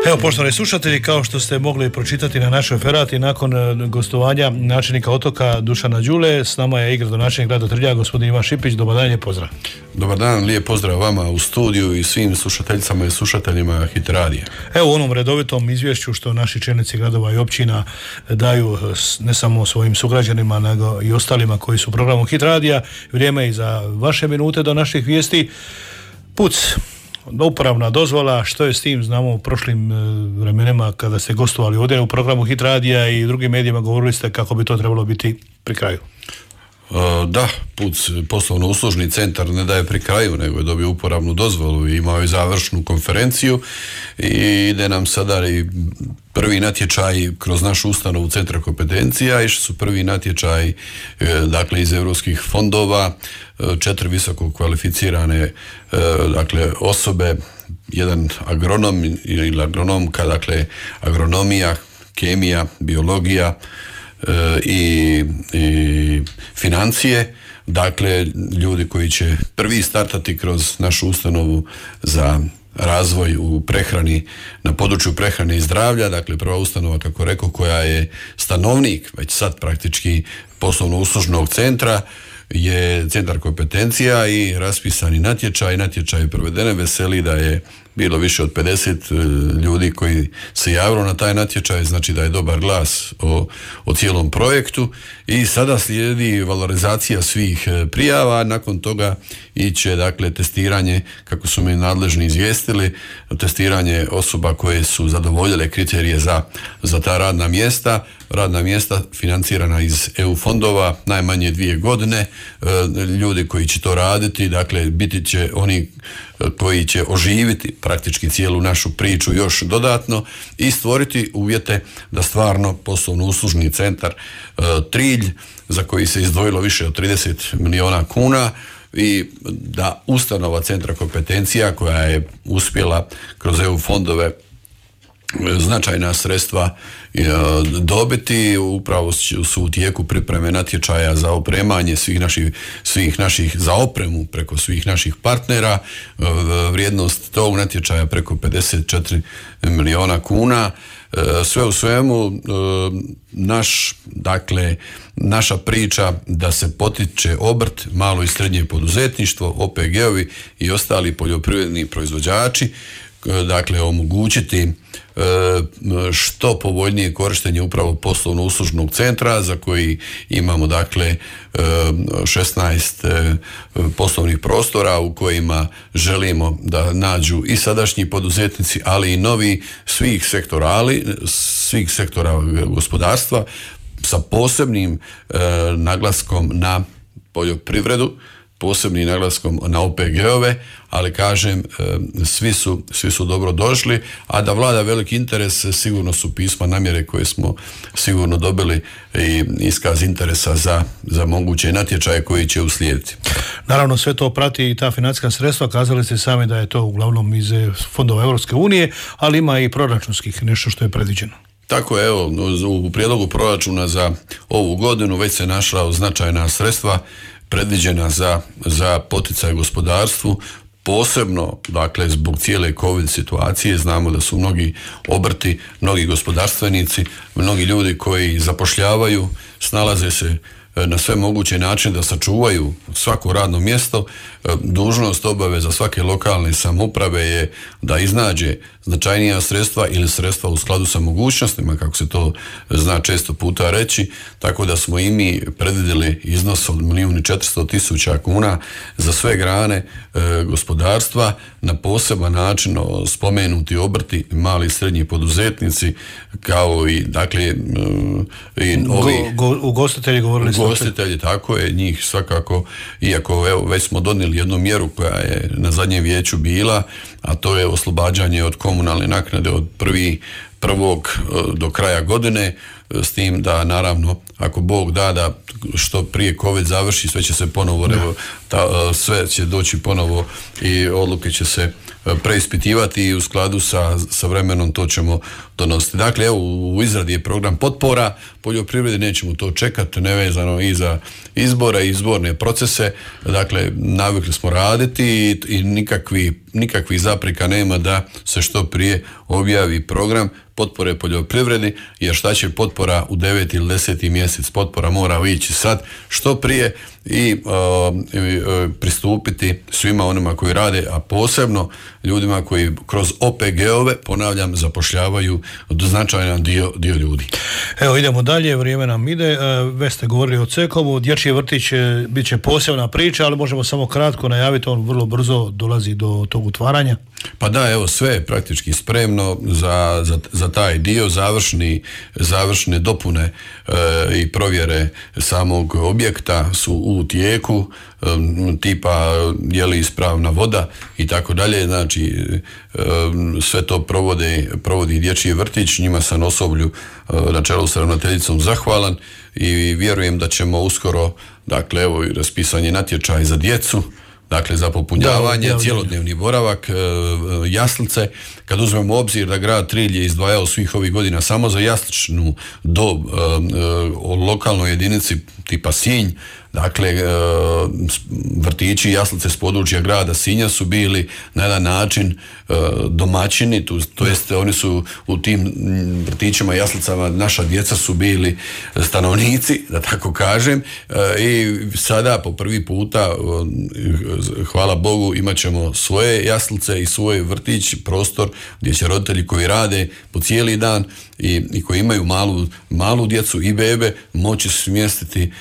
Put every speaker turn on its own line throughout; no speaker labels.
Evo, poštovani slušatelji, kao što ste mogli pročitati na našoj ferati, nakon gostovanja načelnika Otoka Dušana Đule, s nama je i gradonačelnik grada Trilja, gospodin Ivan Šipić. Dobar dan, lijep pozdrav.
Dobar dan, lijep pozdrav vama u studiju i svim slušateljicama i slušateljima Hit Radija.
Evo, u onom redovitom izvješću što naši čelnici gradova i općina daju ne samo svojim sugrađanima, nego i ostalima koji su u programu Hit Radija, vrijeme i za vaše minute do naših vijesti. Puc, uporabna dozvola, što je s tim? Znamo u prošlim vremenima kada ste gostovali ovdje u programu Hit Radija i drugim medijima, govorili ste kako bi to trebalo biti pri kraju.
Da, PUC, poslovno-uslužni centar, ne daje pri kraju, nego je dobio uporabnu dozvolu i imao je završnu konferenciju i ide nam sada i prvi natječaj kroz našu ustanovu centra kompetencija. Išli su prvi natječaj dakle iz europskih fondova, 4 visoko kvalificirane dakle osobe, jedan agronom ili agronomka, dakle agronomija, kemija, biologija i financije, dakle ljudi koji će prvi startati kroz našu ustanovu za razvoj u prehrani, na području prehrane i zdravlja, dakle prva ustanova, kako rekao, koja je stanovnik već sad praktički poslovno-uslužnog centra, je centar kompetencija i raspisani natječaj provedene. Veseli da je bilo više od 50 ljudi koji se javilo na taj natječaj, znači da je dobar glas o cijelom projektu i sada slijedi valorizacija svih prijava. Nakon toga iće dakle testiranje, kako su mi nadležni izvijestili, testiranje osoba koje su zadovoljile kriterije za ta radna mjesta financirana iz EU fondova, najmanje 2 godine. Ljudi koji će to raditi, dakle biti će oni koji će oživiti praktički cijelu našu priču još dodatno i stvoriti uvjete da stvarno poslovno-uslužni centar Trilj, za koji se izdvojilo više od 30 milijuna kuna, i da ustanova centra kompetencija koja je uspjela kroz EU fondove značajna sredstva dobiti, upravo su u tijeku pripreme natječaja za opremanje svih naših za opremu preko svih naših partnera. Vrijednost tog natječaja preko 54 milijuna kuna. Sve u svemu naša priča da se potiče obrt, malo i srednje poduzetništvo, OPG-ovi i ostali poljoprivredni proizvođači, dakle omogućiti što povoljnije korištenje upravo poslovno-uslužnog centra, za koji imamo dakle 16 poslovnih prostora u kojima želimo da nađu i sadašnji poduzetnici, ali i novi svih sektora gospodarstva, sa posebnim naglaskom na poljoprivredu, posebnim naglaskom na OPG-ove, ali kažem, svi su dobro došli, a da vlada veliki interes, sigurno su pisma namjere koje smo sigurno dobili i iskaz interesa za moguće natječaje koji će uslijediti.
Naravno, sve to prati i ta financijska sredstva, kazali ste sami da je to uglavnom iz fondova Europske unije, ali ima i proračunskih, nešto što je predviđeno.
Tako je, evo, u prijedlogu proračuna za ovu godinu već se našla značajna sredstva predviđena za poticaj gospodarstvu, posebno dakle zbog cijele COVID situacije. Znamo da su mnogi obrti, mnogi gospodarstvenici, mnogi ljudi koji zapošljavaju, snalaze se na sve moguće načine da sačuvaju svako radno mjesto. Dužnost, obaveza svake lokalne samouprave je da iznađe značajnija sredstva ili sredstva u skladu sa mogućnostima, kako se to zna često puta reći, tako da smo i mi predvidjeli iznos od 1.400.000 kuna za sve grane gospodarstva, na poseban način spomenuti obrti, mali i srednji poduzetnici, kao i dakle i ovi
ugostitelji, govorili ste.
Ugostitelji, tako je, njih svakako, iako evo već smo donijeli jednu mjeru koja je na zadnjem vijeću bila, a to je oslobađanje od komunalne naknade od 1.1. do kraja godine, s tim da naravno ako Bog da što prije COVID završi, sve će se ponovo sve će doći ponovo i odluke će se preispitivati i u skladu sa vremenom to ćemo donositi. Dakle, evo, u izradi je program potpora poljoprivredi, nećemo to čekati, nevezano i za izbore i izborne procese. Dakle, navikli smo raditi i nikakvih zapreka nema da se što prije objavi program potpore poljoprivredi, jer šta će potpora u 9. ili 10. mjesec, potpora mora ići sad što prije i pristupiti svima onima koji rade, a posebno ljudima koji kroz OPG-ove, ponavljam, zapošljavaju značajan dio ljudi.
Evo, idemo dalje, vrijeme nam ide. Već ste govorili o Cekovu, dječji vrtić bit će posebna priča, ali možemo samo kratko najaviti, on vrlo brzo dolazi do tog otvaranja.
Pa da, evo, sve je praktički spremno za taj dio. Završne dopune i provjere samog objekta su u tijeku, tipa je li ispravna voda i tako dalje. Znači, sve to provodi dječji vrtić. Njima sam osoblju na čelu s ravnateljicom zahvalan i vjerujem da ćemo uskoro, dakle, evo, raspisan je natječaj za djecu, dakle za popunjavanje, cjelodnevni boravak, jaslice. Kad uzmemo u obzir da grad Trilj je izdvajao svih ovih godina samo za jasličnu dob o lokalnoj jedinici tipa Sinj, dakle vrtići i jaslice s područja grada Sinja su bili na jedan način domaćini, to jest oni su u tim vrtićima i jaslicama, naša djeca su bili stanovnici, da tako kažem, i sada po prvi puta, hvala Bogu, imat ćemo svoje jaslice i svoj vrtić, prostor gdje će roditelji koji rade po cijeli dan i koji imaju malu djecu i bebe moći smjestiti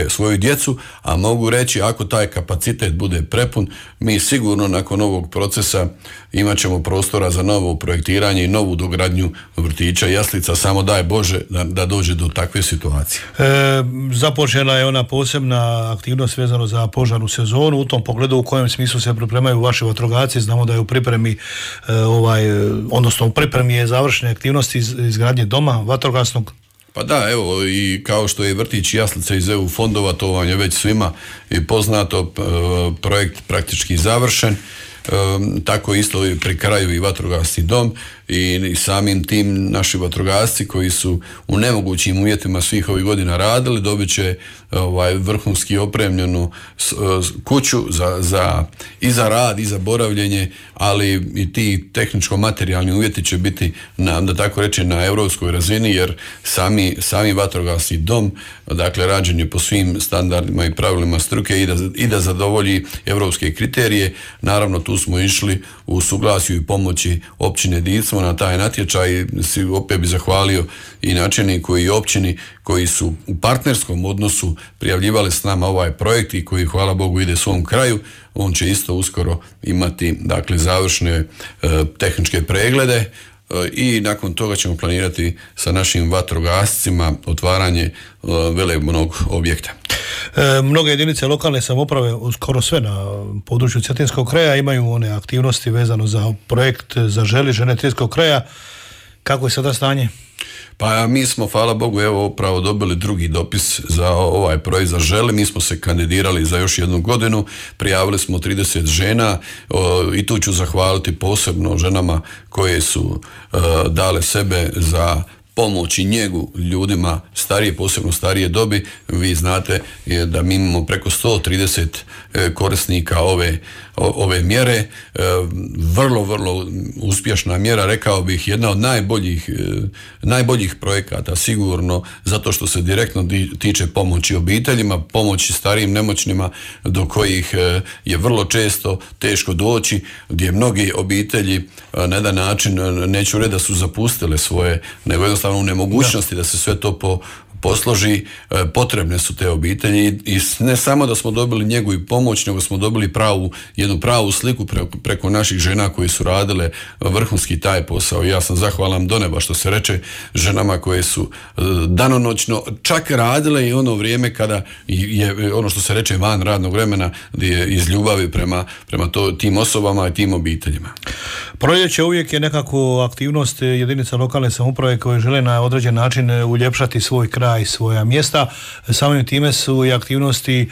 svoju djecu, a mogu reći, ako taj kapacitet bude prepun, mi sigurno nakon ovog procesa imat ćemo prostora za novo projektiranje i novu dogradnju vrtića i jaslica, samo daj Bože da dođe do takve situacije.
Započela je ona posebna aktivnost vezano za požarnu sezonu, u tom pogledu u kojem smislu se pripremaju vaši vatrogasci. Znamo da je u pripremi odnosno u pripremi je završene aktivnosti izgradnje doma vatrogasnog.
Pa da, evo, i kao što je vrtić i jaslice iz EU fondova, to vam je već svima i poznato, projekt praktički završen. Tako isto pri kraju i vatrogasni dom i samim tim naši vatrogasci koji su u nemogućim uvjetima svih ovih godina radili dobit će vrhunski opremljenu kuću i za rad i za boravljenje, ali i ti tehničko-materijalni uvjeti će biti da tako reče na europskoj razini, jer sami vatrogasni dom, dakle, rađen je po svim standardima i pravilima struke i da zadovolji europske kriterije. Naravno, tu smo išli u suglasju i pomoći općine Dicmo na taj natječaj. Opet bi zahvalio i načelniku i općini koji su u partnerskom odnosu prijavljivali s nama ovaj projekt i koji, hvala Bogu, ide svom kraju. On će isto uskoro imati, dakle, završne tehničke preglede i nakon toga ćemo planirati sa našim vatrogascima otvaranje velebnog objekta.
Mnoge jedinice lokalne samouprave, skoro sve na području Cetinskog kraja, imaju one aktivnosti vezano za projekt Zaželi žene Cetinskog kraja. Kako je sada stanje?
Pa mi smo, hvala Bogu, evo upravo dobili drugi dopis za ovaj projekt Zaželi. Mi smo se kandidirali za još jednu godinu, prijavili smo 30 žena i tu ću zahvaliti posebno ženama koje su dale sebe za pomoć i njegu ljudima starije, posebno starije dobi. Vi znate da mi imamo preko 130 korisnika ove mjere. Vrlo uspješna mjera, rekao bih, jedna od najboljih projekata sigurno, zato što se direktno tiče pomoći obiteljima, pomoći starijim nemoćnima do kojih je vrlo često teško doći, gdje mnogi obitelji na jedan način, neću reći da su zapustile svoje, nego jednostavno u nemogućnosti da se sve to posloži, potrebne su te obitelji i ne samo da smo dobili njegu i pomoć, nego smo dobili jednu pravu sliku preko naših žena koji su radile vrhunski taj posao. Ja sam zahvalan do neba, što se reče, ženama koje su danonoćno čak radile i ono vrijeme kada je ono što se reče van radnog vremena, gdje je iz ljubavi prema tim osobama i tim obiteljima.
Proljeće uvijek je nekako aktivnost jedinica lokalne samouprave koje žele na određen način uljepšati svoj kraj, svoja mjesta. Samim time su i aktivnosti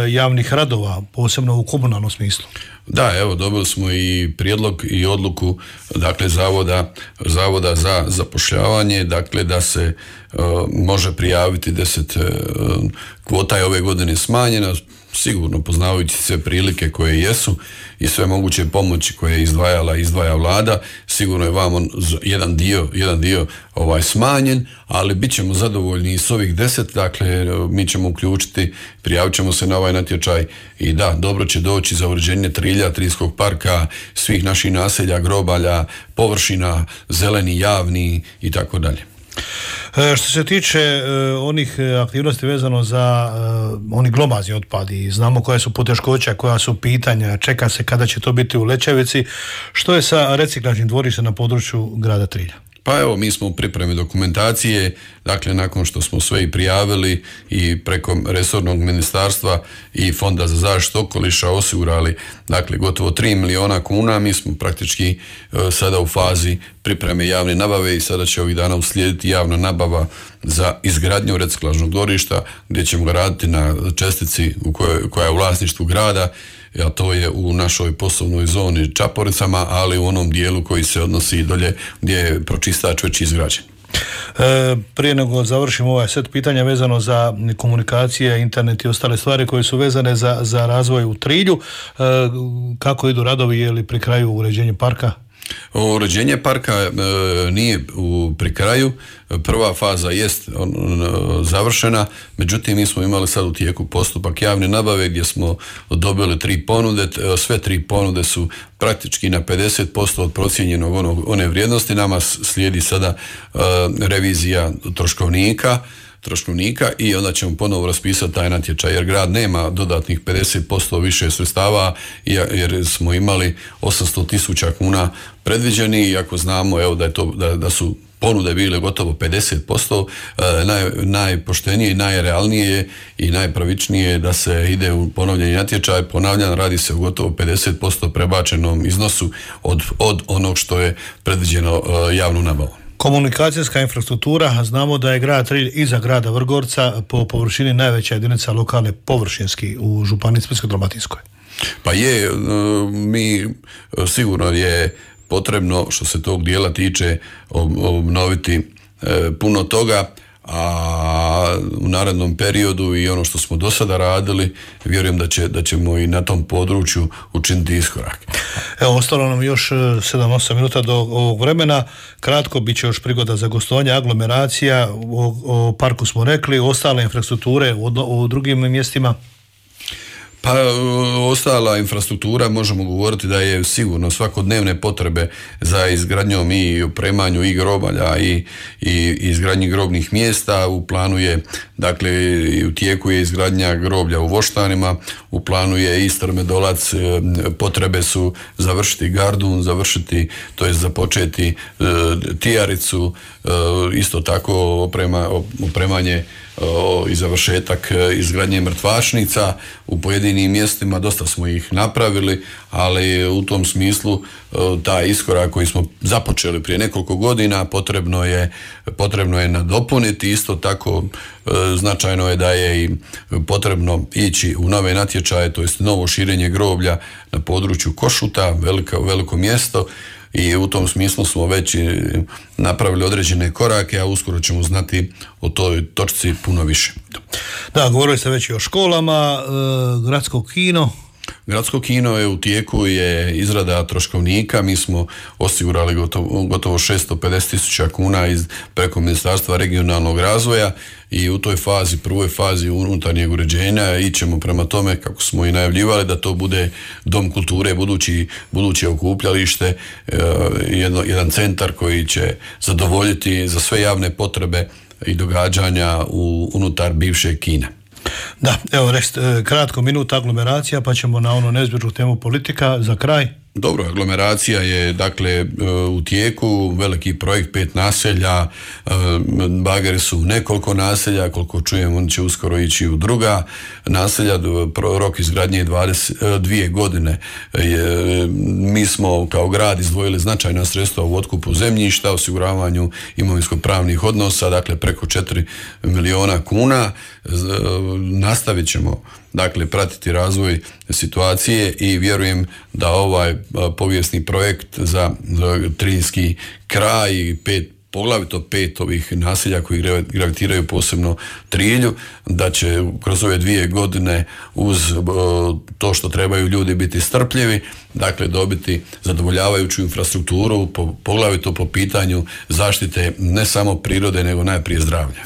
javnih novih radova, posebno u komunalnom smislu?
Da, evo, dobili smo i prijedlog i odluku, dakle, Zavoda za zapošljavanje, dakle, da se može prijaviti 10 kvota je ove godine smanjena, sigurno poznavajući sve prilike koje jesu i sve moguće pomoći koje je izdvaja vlada, sigurno je vam jedan dio smanjen, ali bit ćemo zadovoljni i s ovih 10, dakle mi ćemo uključiti, prijavit ćemo se na ovaj natječaj i da, dobro će doći za uređenje Trilja, Triljskog parka, svih naših naselja, grobalja, površina, zeleni, javni i tako dalje.
Što se tiče onih aktivnosti vezano za oni glomazni otpadi, znamo koja su poteškoća, koja su pitanja, čeka se kada će to biti u Lećevici. Što je sa reciklažnim dvorištem na području grada Trilja?
Pa evo, mi smo u pripremi dokumentacije, dakle nakon što smo sve i prijavili i preko resornog ministarstva i Fonda za zaštitu okoliša osigurali, dakle gotovo 3 milijuna kuna, mi smo praktički sada u fazi pripreme javne nabave i sada će ovih dana uslijediti javna nabava za izgradnju reciklažnog dvorišta gdje ćemo ga raditi na čestici koja je u vlasništvu grada, a to je u našoj poslovnoj zoni Čaporicama, ali u onom dijelu koji se odnosi dolje gdje je pročistač već izgrađen.
Prije nego završimo ovaj set pitanja vezano za komunikacije, internet i ostale stvari koje su vezane za razvoj u Trilju, kako idu radovi, je li pri kraju uređenje parka?
Uređenje parka nije pri kraju, prva faza jest završena, međutim mi smo imali sad u tijeku postupak javne nabave gdje smo dobili 3 ponude, sve 3 ponude su praktički na 50% od procijenjenog one vrijednosti, nama slijedi sada revizija troškovnika i onda ćemo ponovo raspisati taj natječaj jer grad nema dodatnih 50% više sredstava jer smo imali 800.000 kuna predviđeni i ako znamo evo da su ponude bile gotovo 50%, najpoštenije i najrealnije i najpravičnije da se ide u ponovljeni natječaj. Ponavljam, radi se o gotovo 50% prebačenom iznosu od onog što je predviđeno javnom nabavom.
Komunikacijska infrastruktura, znamo da je grad Trilj iza grada Vrgorca po površini najveća jedinica lokalne površinski u županiji Splitsko-dalmatinskoj.
Pa je, mi sigurno je potrebno što se tog dijela tiče obnoviti puno toga, a u narednom periodu i ono što smo do sada radili, vjerujem da ćemo i na tom području učiniti iskorak.
Evo, ostalo nam još 7-8 minuta do ovog vremena. Kratko, bit će još prigoda za gostovanje, aglomeracija, o parku smo rekli, ostale infrastrukture u drugim mjestima.
Pa ostala infrastruktura možemo govoriti da je sigurno svakodnevne potrebe za izgradnjom i opremanju i grobalja i izgradnji grobnih mjesta. U planu je, dakle u tijeku je izgradnja groblja u Voštanima, u planu je i Strmedolac, potrebe su završiti Gardun, započeti Tijaricu, isto tako opremanje i završetak izgradnje mrtvačnica u pojedinim mjestima, dosta smo ih napravili, ali u tom smislu taj iskorak koji smo započeli prije nekoliko godina potrebno je nadopuniti. Isto tako značajno je da je i potrebno ići u nove natječaje, to jest novo širenje groblja na području Košuta, veliko mjesto, i u tom smislu smo već napravili određene korake, a uskoro ćemo znati o toj točci puno više.
Da, govorili ste već i o školama, gradsko kino.
Gradsko kino je u tijeku, je izrada troškovnika, mi smo osigurali gotovo 650.000 kuna preko Ministarstva regionalnog razvoja i u toj fazi, prvoj fazi unutarnjeg uređenja ićemo prema tome, kako smo i najavljivali, da to bude dom kulture, buduće okupljalište, jedan centar koji će zadovoljiti za sve javne potrebe i događanja unutar bivšeg kina.
Da, evo kratko minuta aglomeracija, pa ćemo na onu neizbježnu temu politika za kraj.
Dobro, aglomeracija je dakle u tijeku, veliki projekt, 5 naselja, bageri su nekoliko naselja, koliko čujem on će uskoro ići u druga naselja, rok izgradnje je 2 godine. Mi smo kao grad izdvojili značajna sredstva u otkupu zemljišta, osiguravanju imovinsko-pravnih odnosa, dakle preko 4 milijuna kuna. Nastavit ćemo dakle pratiti razvoj situacije i vjerujem da ovaj povijesni projekt za Trinjski kraj i poglavito 5 ovih naselja koji gravitiraju posebno Trilju, da će kroz ove 2 godine uz to što trebaju ljudi biti strpljivi, dakle dobiti zadovoljavajuću infrastrukturu, poglavito po pitanju zaštite ne samo prirode, nego najprije zdravlja.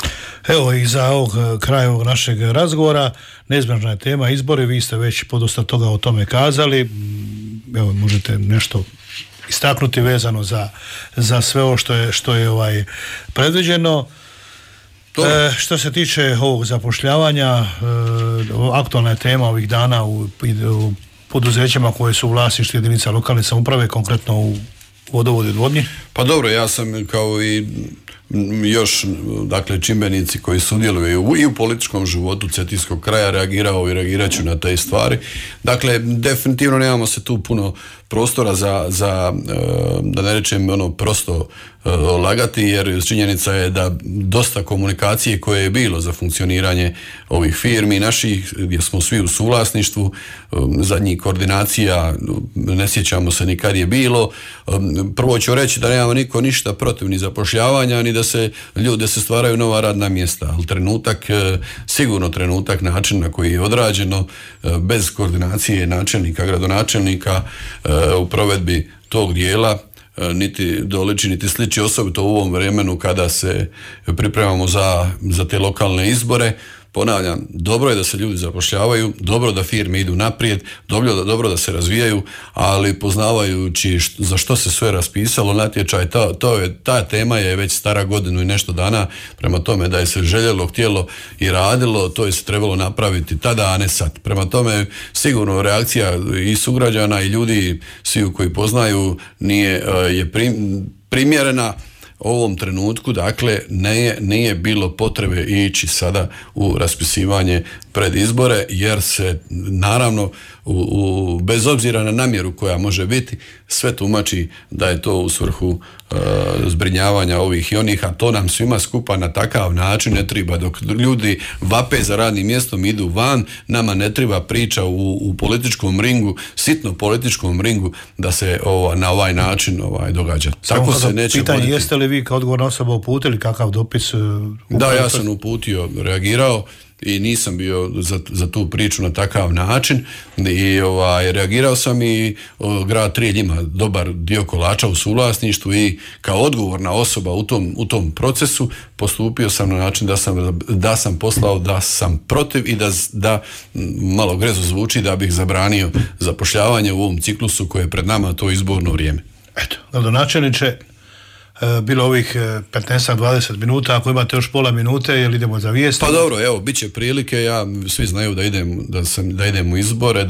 Evo i za kraj ovog našeg razgovora, neizbježna je tema izbori, vi ste već podosta toga o tome kazali, evo možete nešto istaknuti vezano za sve ovo što je predviđeno. Što se tiče ovog zapošljavanja, aktualna je tema ovih dana u poduzećima koje su u vlasništvu jedinica lokalne samouprave, konkretno u vodovodu i odvodnji.
Pa dobro, ja sam kao i još, dakle, čimbenici koji sudjeluju i u političkom životu Cetinskog kraja reagirao i reagirat ću na te stvari. Dakle, definitivno nemamo se tu puno prostora za da ne rečem prosto lagati, jer činjenica je da dosta komunikacije koje je bilo za funkcioniranje ovih firmi naših, gdje smo svi u suvlasništvu, zadnjih koordinacija ne sjećamo se ni kad je bilo. Prvo ću reći da nemamo niko ništa protiv ni zapošljavanja, ni da se stvaraju nova radna mjesta, ali sigurno trenutak, način na koji je odrađeno, bez koordinacije načelnika, gradonačelnika u provedbi tog dijela, niti doliči, niti sliči, osobito u ovom vremenu kada se pripremamo za te lokalne izbore. Ponavljam, dobro je da se ljudi zapošljavaju, dobro da firme idu naprijed, dobro da se razvijaju, ali poznavajući za što se sve raspisalo natječaj, ta tema je već stara godinu i nešto dana, prema tome da je se željelo, htjelo i radilo, to je se trebalo napraviti tada, a ne sad. Prema tome, sigurno reakcija i sugrađana i ljudi svi koji poznaju je primjerena ovom trenutku, dakle nije bilo potrebe ići sada u raspisivanje pred izbore, jer se naravno bez obzira na namjeru koja može biti, sve tumači da je to u svrhu zbrinjavanja ovih i onih, a to nam svima skupa na takav način ne treba. Dok ljudi vape za radnim mjestom, idu van, nama ne treba priča u političkom ringu, sitno političkom ringu, da se na ovaj način događa. Tako se neće
pitanje,
voditi.
jeste li vi kao odgovorna osoba uputili kakav dopis?
Da, ja sam uputio, reagirao i nisam bio za tu priču na takav način i reagirao sam i grad Trilj ima dobar dio kolača u suvlasništvu i kao odgovorna osoba u tom procesu postupio sam na način da sam poslao da sam protiv i da malo grezno zvuči da bih zabranio zapošljavanje u ovom ciklusu koje je pred nama, to izborno vrijeme.
Eto, gradonačelniče, bilo ovih 15-20 minuta, ako imate još pola minute, jel idemo za vijesti?
Pa dobro, evo, bit će prilike, svi znaju da idem u izbore,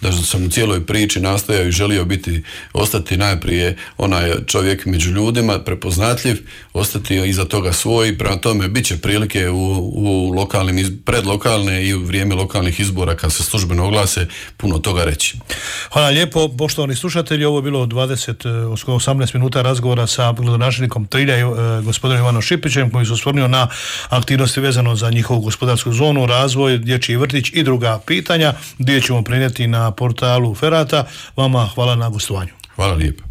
da sam u cijeloj priči nastojao i želio ostati najprije onaj čovjek među ljudima, prepoznatljiv, ostati iza toga svoj, prema tome bit će prilike u predlokalne i u vrijeme lokalnih izbora kad se službeno oglase puno toga reći.
Hvala lijepo, poštovani slušatelji, ovo je bilo 18 minuta razgovora sa gradonačelnikom Trilja, gospodinom Ivanom Šipićem, koji se osvrnuo na aktivnosti vezano za njihovu gospodarsku zonu, razvoj, dječji vrtić i druga pitanja, gdje ćemo prenijeti na portalu Ferata. Vama hvala na gostovanju.
Hvala lijepo.